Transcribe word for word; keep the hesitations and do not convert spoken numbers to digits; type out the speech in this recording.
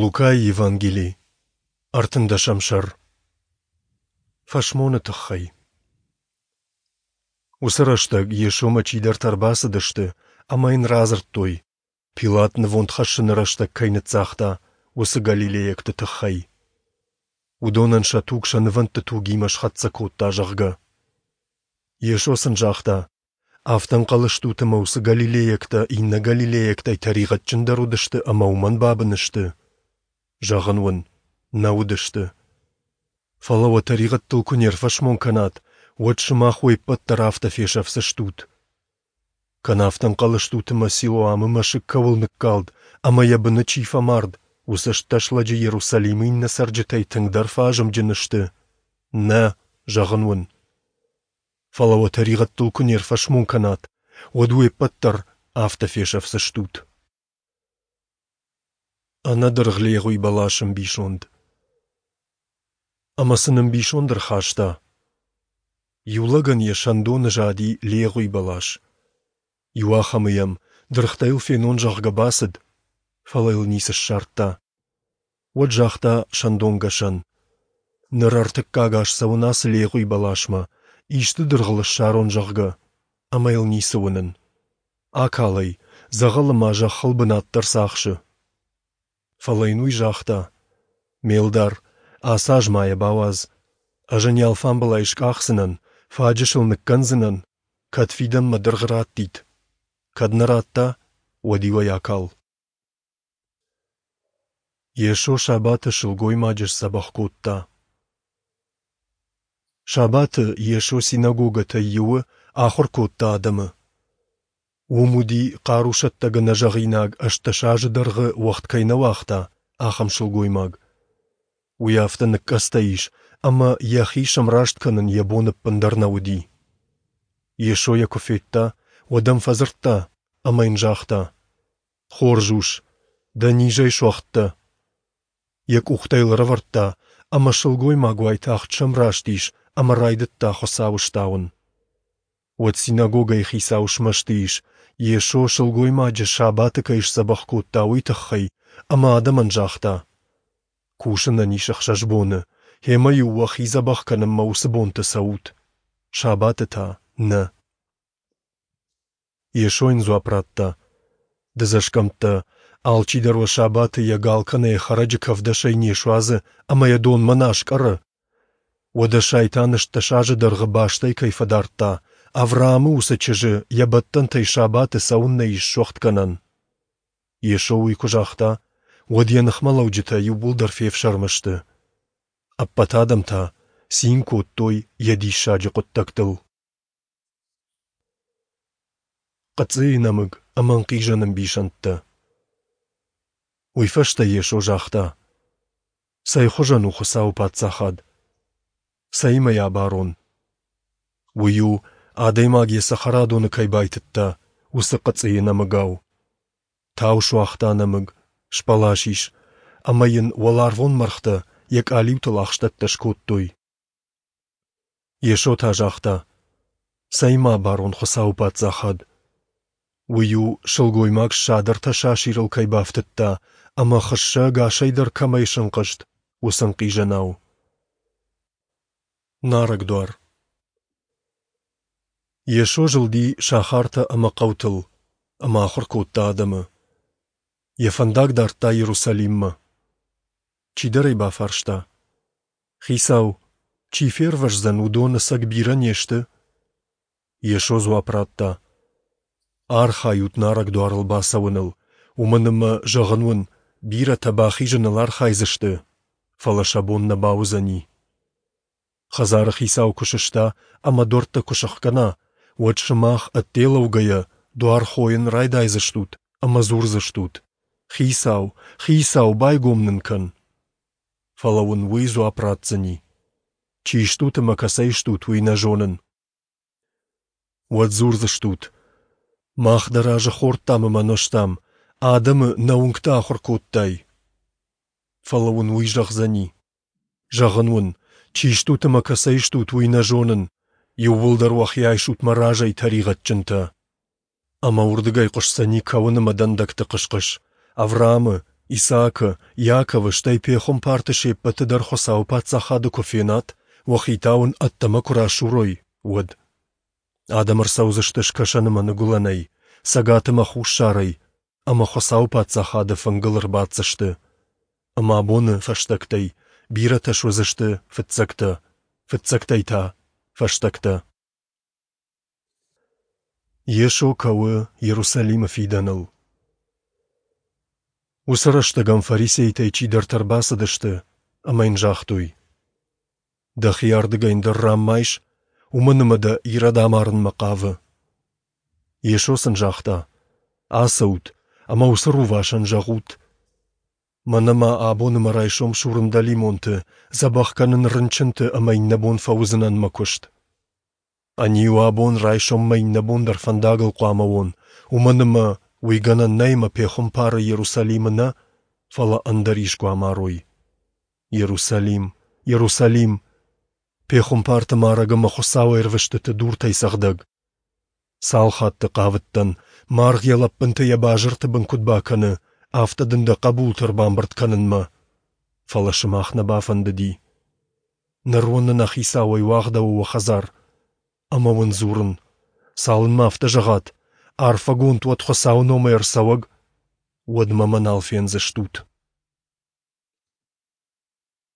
Лукайы Евангели, ӕртындӕсӕм сӕр. Фӕсмоны тыххӕй. Уыцы рӕстӕг Йесомӕ чидӕртӕ ӕрбацыдысты ӕмӕ йын радзырдтой, Пилат нывонд хӕссыны рӕстӕг кӕй ныццагъта, уыцы галилейӕгты тыххӕй. Уыдонӕн сӕ туг сӕ нывӕндты тугимӕ схӕццӕ кодта, зӕгъгӕ. Йесо сын загъта: Афтӕ ӕнхъӕл стут, ӕмӕ уыцы галилейӕгтӕ иннӕ галилейӕгтӕй тӕригъӕдджындӕр уыдысты ӕмӕ уымӕн бабын сты? Зӕгъын уын, нӕ уыдысты. Фӕлӕ уӕ тӕригъӕдтыл куы не рфӕсмон кӕнат, уӕд сымах уе ппӕт дӕр афтӕ фесӕфдзыстут. Кӕнӕ афтӕ ӕнхъӕл стут, ӕмӕ Силоамы мӕсыг кӕуыл ныккалд ӕмӕ йӕ быны чи фӕмард, уыцы ӕстдӕс лӕджы Иерусалимы иннӕ цӕрджытӕй тынгдӕр фӕазымджын сты? Нӕ, зӕгъын уын. Фӕлӕ уӕ тӕригъӕдтыл куы не рфӕсмон кӕнат, уӕд уе ппӕт дӕр афтӕ фесӕфдзыстут. Ӕнӕдыргъ легъуи бӕласы ӕмбисонд. Ӕмӕ сын ӕмбисонд ӕрхаста. Иу лӕгӕн йӕ сӕндоны зади легъуи бӕлас. Иуахӕмы йӕм, дыргътӕ йыл фенон, зӕгъгӕ, бацыд, фӕлӕ йыл ницы ссардта. Уӕд загъта сӕндонгӕсӕн: Ныр ӕртыккаг аз цӕуын ацы легъуи бӕласмӕ, исты дыргъ ыл ссарон, зӕгъгӕ, ӕмӕ йыл ницы уынын. Акал ӕй, дзӕгъӕлы ма зӕххыл бынат дӕр цы ахсы. Фӕлӕ йын уый загъта: Ме лдар, ацы аз ма йӕ бауадз. Ӕз ын йӕ алфамбылай скъахдзынӕн, фаджыс ыл ныккӕндзынӕн, кӕд фидӕнмӕ дыргъ раттид. Кӕд нӕ радта, уӕд-иу ӕй акал. Йесо сабаты сылгоймаджы сдзӕбӕх кодта. Сабаты Йесо синагогӕтӕй иуы ахуыр кодта адӕмы. Уым уыди, хъарусӕттӕг ӕнӕзӕгъинаг ӕстдӕс азы дӕргъы уӕгъд кӕй нӕ уагъта, ахӕм сылгоймаг. Уый афтӕ ныкъкъӕдзтӕ ис, ӕмӕ йӕхи сӕмраст кӕнын йӕ бон ӕппындӕр нӕ уыди. Йесо йӕ куы федта, уӕд ӕм фӕдзырдта ӕмӕ йын загъта: Хорз ус, дӕ низӕй суӕгъд дӕ. Йӕ къухтӕ йыл ӕрӕвӕрдта, ӕмӕ сылгоймаг уайтагъд сӕмраст ис ӕмӕ райдыдта Хуыцауы стауын. Уӕд синагогӕйы хицау смӕсты ис, Йесо сылгоймаджы сабаты кӕй сдзӕбӕх кодта, уый тыххӕй, ӕмӕ адӕмӕн загъта: Кусынӕн ис ӕхсӕз боны, гъемӕ-иу уӕхи дзӕбӕх кӕнынмӕ уыцы бонты цӕут, сабаты та нӕ. Йесо йын дзуапп радта: Дыдзӕсгӕмттӕ, алчидӕр уӕ сабаты йӕ гал кӕнӕ йӕ хӕрӕджы кӕвдӕсӕй не суадзы ӕмӕ йӕ донмӕ нӕ аскъӕры? Уӕдӕ сайтан ӕстдӕс азы дӕргъы бастӕй кӕй фӕдардта, Авраамы уыцы чызджы йӕ бӕттӕнтӕй сабаты цӕуыннӕ ис суӕгъдгӕнӕн? Йесо уый куы загъта, уӕд йӕ ныхмӕлӕуджытӕ иууылдӕр фефсӕрмы сты. Ӕппӕт адӕм та цин кодтой йӕ диссаджы хъуыддӕгтыл. Хъыцъыйы нӕмыг ӕмӕ ӕнхъизӕн ӕмбисӕндтӕ. Уый фӕстӕ Йесо загъта: Цӕй хуызӕн у Хуыцауы Паддзахад? Цӕимӕ йӕ абарон? Уый у, адӕймаг йӕ цӕхӕрадоны кӕй байтыдта, уыцы хъыцъыйы нӕмыгау. Тау суагъта нӕмыг, сбӕлас ис, ӕмӕ йын уӕларвон мӕргътӕ йӕ къалиутыл ахстӕттӕ скодтой. Йесо та загъта: Цӕимӕ абарон Хуыцауы Паддзахад? Уый у, сылгоймаг ссад ӕртӕ сасирыл кӕй бафтыдта ӕмӕ хыссӕ ӕгасӕй дӕр кӕмӕй сӕнхъызт, уыцы ӕнхъизӕнау. Нарӕг дуар. Йесо зылди сахартӕ ӕмӕ хъӕутыл ӕмӕ ахуыр кодта адӕмы. Йӕ фӕндаг дардта Иерусалиммӕ. Чидӕр ӕй бафарста: Хицау, чи фервӕздзӕн, уыдон ӕцӕг бирӕ не сты? Йесо дзуапп радта: Архайут нарӕг дуарыл бацӕуыныл, уымӕн ӕмӕ, зӕгъын уын, бирӕтӕ бахизыныл архайдзысты, фӕлӕ сӕ бон нӕ бауыдзӕни. Хӕдзары хицау куы сыста ӕмӕ дуӕрттӕ куы сӕхгӕна, уӕд сымах, ӕдде лӕугӕйӕ, дуар хойын райдайдзыстут ӕмӕ дзурдзыстут: Хицау, Хицау, байгом нын кӕн! Фӕлӕ уын уый дзуапп ратдзӕни: Чи стут ӕмӕ кӕцӕй стут, уый нӕ зонын. Уӕд дзурдзыстут: Мах дӕ разы хордтам ӕмӕ нозтам, адӕмы нӕ уынгты ахуыр кодтай. Фӕлӕ уын уый зӕгъдзӕни: Зӕгъын уын, чи стут ӕмӕ кӕцӕй стут, уый нӕ зонын. Иууылдӕр уӕхи айсут мӕ разӕй, тӕригъӕдджынтӕ. Ӕмӕ уырдыгӕй хъуысдзӕни кӕуын ӕмӕ дӕндӕгты хъыс-хъыс, Авраамы, Исаакы, Иаковы, стӕй пехуымпарты се ппӕты дӕр Хуыцауы Паддзахады куы фенат, уӕхи та уын ӕддӕмӕ куы расурой, уӕд. Адӕм ӕрцӕудзысты скӕсӕн ӕмӕ ныгуылӕнӕй, цӕгат ӕмӕ хуссарӕй, ӕмӕ Хуыцауы Паддзахады фынгыл ӕрбаддзысты. Ӕмӕ абоны фӕстӕгтӕй бирӕтӕ суыдзысты фыццӕгтӕ, фыццӕгтӕй та фӕстӕгтӕ. Йесо кӕуы Иерусалимы фидӕныл. Уыцы рӕстӕг ӕм фарисейтӕй чидӕртӕ ӕрбацыдысты ӕмӕ йын загътой: Дӕхи ардыгӕй ӕндӕр ранмӕ айс, уымӕн ӕмӕ дӕ Ирод амарынмӕ хъавы. Йесо сын загъта: Ацӕут ӕмӕ уыцы рувасӕн зӕгъут: Мӕнӕ ма абон ӕмӕ райсом сурын дӕлимонты, дзӕбӕх кӕнын рынчынты ӕмӕ иннӕбон фӕуыдзынӕн мӕ куыст. Ӕниу абон райсом мӕ иннӕбон дӕр фӕндагыл хъуамӕ уон, уымӕн ӕмӕ уый гӕнӕн нӕй ӕмӕ пехуымпары Иерусалимы нӕ, фӕлӕ ӕндӕр искуы амарой. Иерусалим, Иерусалим, пехуымпарты марӕг ӕмӕ Хуыцауы ӕрвыстыты дуртӕй цӕгъдӕг! Цал хатты хъавыдтӕн, маргъ йӕ лӕппынты йӕ базырты бын куыд бакӕны, афтӕ дын дӕ хъӕбулты ӕрбамбырд кӕнынмӕ, фӕлӕ сымах нӕ бафӕндыди. Ныр уын ӕнӕхицауӕй уагъдӕуы уӕ хӕдзар. Ӕмӕ уын дзурын, цалынмӕ афтӕ зӕгъат, арфӕгонд уӕд Хуыцауы номӕй ӕрцӕуӕг, уӕдмӕ мӕ нал фендзыстут.